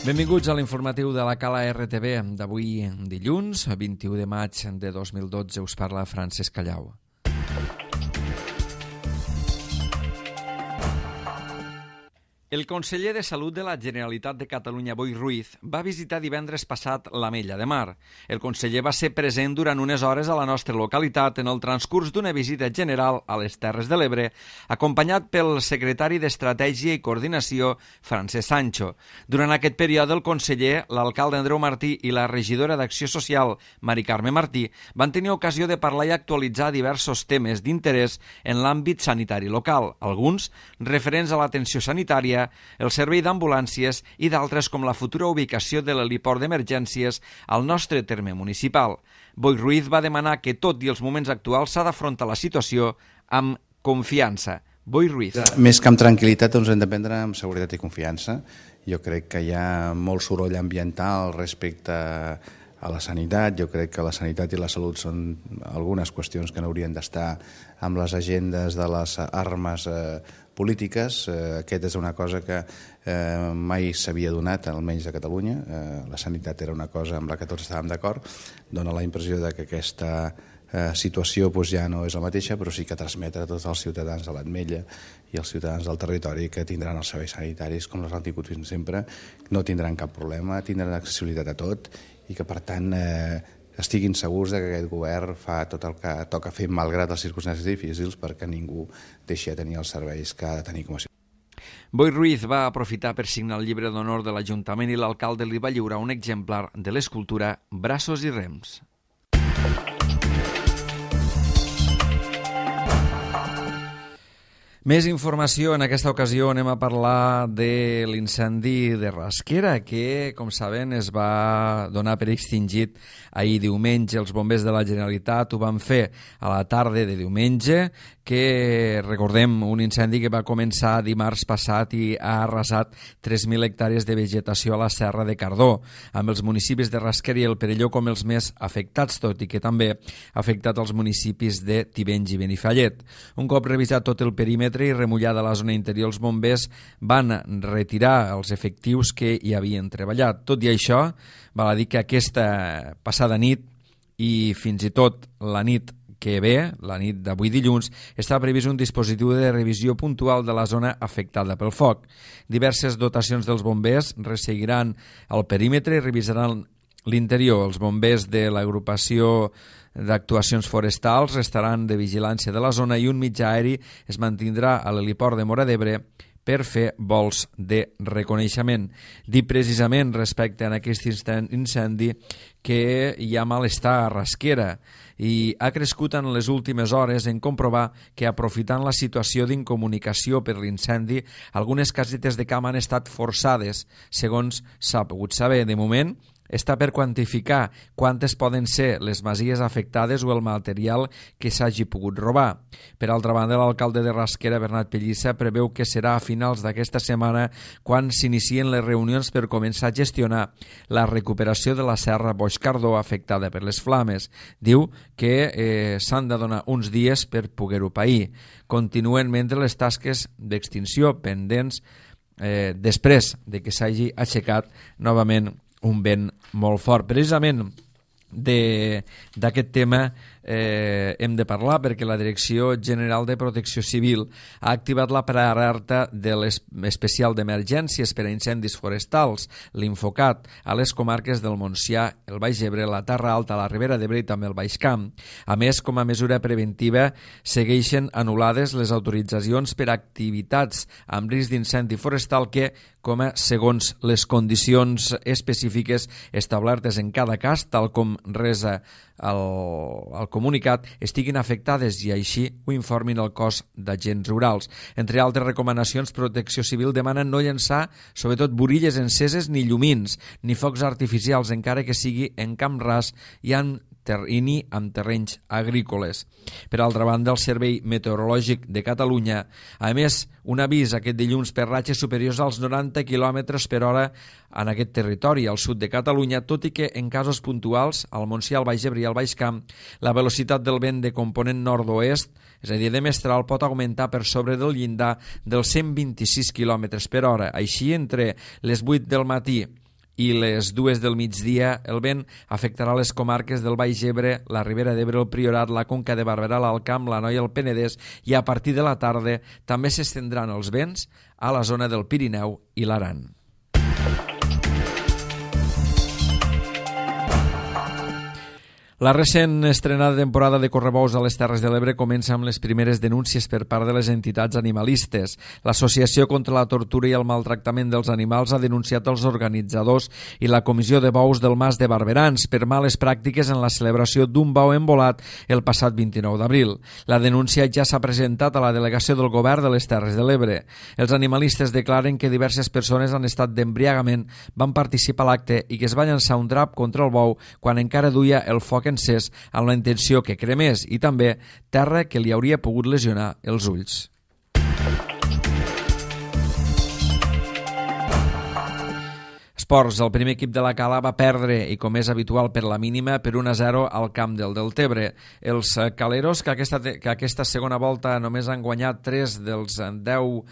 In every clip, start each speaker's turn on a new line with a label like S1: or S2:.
S1: Benvinguts a l'informatiu de la Cala RTV d'avui dilluns, 21 de maig de 2012. Us parla Francesc Callau. El conseller de Salut de la Generalitat de Catalunya, Boi Ruiz, va visitar divendres passat l'Ametlla de Mar. El conseller va ser present durant unes hores a la nostra localitat en el transcurs d'una visita general a les Terres de l'Ebre, acompanyat pel secretari d'Estratègia i Coordinació, Francesc Sancho. Durant aquest període, el conseller, l'alcalde Andreu Martí i la regidora d'Acció Social, Mari Carme Martí, van tenir ocasió de parlar i actualitzar diversos temes d'interès en l'àmbit sanitari local, alguns referents a l'atenció sanitària, el servei d'ambulàncies i d'altres com la futura ubicació de l'heliport d'emergències al nostre terme municipal. Boi Ruiz va demanar que, tot i els moments actuals, s'ha d'afrontar la situació amb confiança. Boi Ruiz.
S2: Més que amb tranquil·litat, doncs hem de prendre amb seguretat i confiança. Jo crec que hi ha molt soroll ambiental respecte a la sanitat. Jo crec que la sanitat i la salut són algunes qüestions que no haurien d'estar amb les agendes de les armes polítiques. Aquesta és una cosa que mai s'havia donat, almenys a Catalunya. La sanitat era una cosa amb la que tots estàvem d'acord. Dóna la impressió de que aquesta situació ja no és la mateixa, però sí que transmetre a tots els ciutadans de l'Ametlla i els ciutadans del territori que tindran els serveis sanitaris com els han tingut fins sempre, no tindran cap problema, tindran accessibilitat a tot i que, per tant, estiguin segurs que aquest govern fa tot el que toca fer malgrat les circumstàncies difícils perquè ningú deixi de tenir els serveis que ha de tenir com a ciutadà.
S1: Boi Ruiz va aprofitar per signar el llibre d'honor de l'Ajuntament i l'alcalde li va lliurar un exemplar de l'escultura Braços i Rems. Més informació. En aquesta ocasió anem a parlar de l'incendi de Rasquera, que, com saben, es va donar per extingit ahir diumenge. Els bombers de la Generalitat ho van fer a la tarda de diumenge, que, recordem, un incendi que va començar dimarts passat i ha arrasat 3.000 hectàrees de vegetació a la Serra de Cardó, amb els municipis de Rasquera i el Perelló com els més afectats, tot i que també ha afectat els municipis de Tivenys i Benifallet. Un cop revisat tot el perímetre i remullada la zona interior, els bombers van retirar els efectius que hi havien treballat. Tot i això, val a dir que aquesta passada nit i fins i tot la nit que ve, la nit d'avui dilluns, està previst un dispositiu de revisió puntual de la zona afectada pel foc. Diverses dotacions dels bombers resseguiran el perímetre i revisaran l'interior. Els bombers de l'agrupació d'actuacions forestals estaran de vigilància de la zona i un mitjà aeri es mantindrà a l'heliport de Móra d'Ebre per fer vols de reconeixement. Dir precisament respecte a aquest incendi que hi ha malestar a Rasquera i ha crescut en les últimes hores en comprovar que, aprofitant la situació d'incomunicació per l'incendi, algunes casetes de camp han estat forçades, segons s'ha pogut saber. De moment, està per quantificar quantes poden ser les masies afectades o el material que s'hagi pogut robar. Per altra banda, l'alcalde de Rasquera, Bernat Pellissa, preveu que serà a finals d'aquesta setmana quan s'inicien les reunions per començar a gestionar la recuperació de la Serra Boix-Cardó afectada per les flames. Diu que s'han de donar uns dies per poder-ho pair. Continuen mentre les tasques d'extinció pendents després de que s'hagi aixecat novament un vent molt fort. Precisament d'aquest tema hem de parlar perquè la Direcció General de Protecció Civil ha activat la prealerta de l'especial d'emergències per a incendis forestals, l'Infocat, a les comarques del Montsià, el Baix Ebre, la Terra Alta, la Ribera d'Ebre i també el Baix Camp. A més, com a mesura preventiva, segueixen anul·lades les autoritzacions per a activitats amb risc d'incendi forestal que, segons les condicions específiques establertes en cada cas, tal com resa el comunicat, estiguin afectades i així ho informin el cos d'agents rurals. Entre altres recomanacions, Protecció Civil demana no llançar, sobretot, borilles enceses ni llumins, ni focs artificials, encara que sigui en camp ras i ni amb terrenys agrícoles. Per altra banda, el Servei Meteorològic de Catalunya ha emès un avís aquest dilluns per ratxes superiors als 90 km per hora en aquest territori, al sud de Catalunya, tot i que en casos puntuals, al Montsià, al Baix Ebre i al Baix Camp, la velocitat del vent de component nord-oest, és a dir, de mestral, pot augmentar per sobre del llindar dels 126 km per hora. Així, entre les 8 del matí i les 2 del migdia. El vent afectarà les comarques del Baix Ebre, la Ribera d'Ebre, el Priorat, la Conca de Barberà, l'Alt Camp, l'Anoia, el Penedès, i a partir de la tarda també s'estendran els vents a la zona del Pirineu i l'Aran. La recent estrenada temporada de correbous a les Terres de l'Ebre comença amb les primeres denúncies per part de les entitats animalistes. L'Associació contra la Tortura i el Maltractament dels Animals ha denunciat els organitzadors i la Comissió de Bous del Mas de Barberans per males pràctiques en la celebració d'un bou embolat el passat 29 d'abril. La denúncia ja s'ha presentat a la delegació del Govern de les Terres de l'Ebre. Els animalistes declaren que diverses persones en estat d'embriagament van participar a l'acte i que es va llançar un drap contra el bou quan encara duia el foc encès amb la intenció que cremés, i també terra que li hauria pogut lesionar els ulls. Esports. El primer equip de la Cala va perdre, i com és habitual per la mínima, per 1-0 al camp del Deltebre. Els caleros, que aquesta segona volta només han guanyat 3 dels 10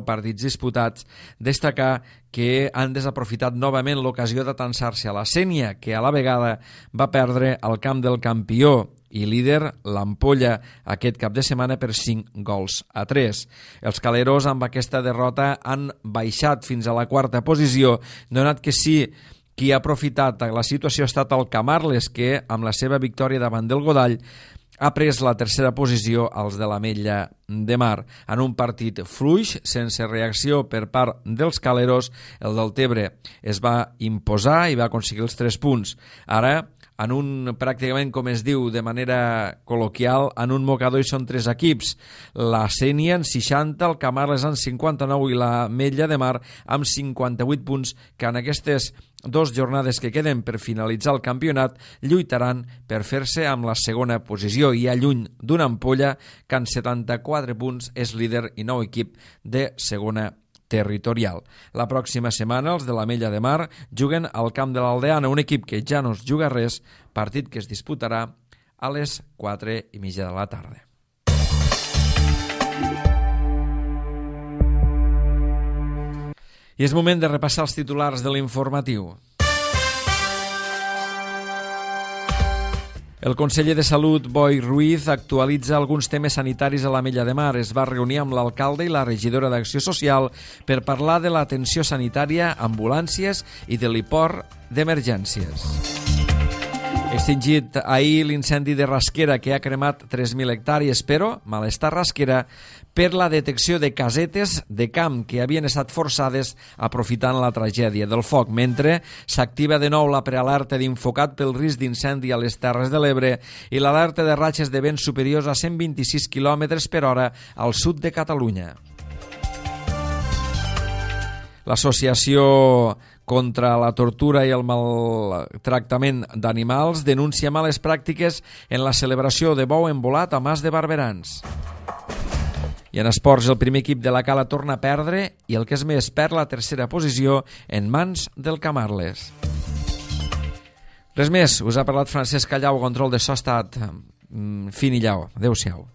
S1: partits disputats, destacar que han desaprofitat novament l'ocasió d'atansar-se a la Sénia, que a la vegada va perdre al camp del campió i líder, l'Ampolla, aquest cap de setmana per 5-3. Els caleros amb aquesta derrota han baixat fins a la 4a posició, donat que sí, qui ha aprofitat la situació ha estat el Camarles, que amb la seva victòria davant del Godall ha pres la 3a posició als de l'Ametlla de Mar. En un partit fluix, sense reacció per part dels caleros, el Deltebre es va imposar i va aconseguir els 3 punts. Ara, en un, pràcticament com es diu de manera col·loquial, en un mocador hi són 3 equips. La Sénia en 60, el Camarles en 59 i l'Ametlla de Mar amb 58 punts, que en aquestes 2 jornades que queden per finalitzar el campionat lluitaran per fer-se amb la segona posició, i a lluny d'una Ampolla que en 74 punts és líder i nou equip de segona territorial. La pròxima setmana els de l'Ametlla de Mar juguen al camp de l'Aldeana, un equip que ja no es juga res, partit que es disputarà a les 4:30 de la tarda. I és moment de repassar els titulars de l'informatiu. El conseller de Salut, Boi Ruiz, actualitza alguns temes sanitaris a l'Ametlla de Mar. Es va reunir amb l'alcalde i la regidora d'Acció Social per parlar de l'atenció sanitària, ambulàncies i de l'hiport d'emergències. Extingit ahir l'incendi de Rasquera, que ha cremat 3.000 hectàrees, però malestar Rasquera per la detecció de casetes de camp que havien estat forçades aprofitant la tragèdia del foc, mentre s'activa de nou la prealerta d'Infocat pel risc d'incendi a les Terres de l'Ebre i l'alerta de ratxes de vents superiors a 126 km per hora al sud de Catalunya. L'Associació contra la tortura i el maltractament d'animals denuncia males pràctiques en la celebració de bou embolat a Mas de Barberans. I en esports, el primer equip de la Cala torna a perdre i el que és més, perd la 3a posició en mans del Camarles. Res més, us ha parlat Francesc Callau, control de so ha estat fin i llau. Adéu-siau.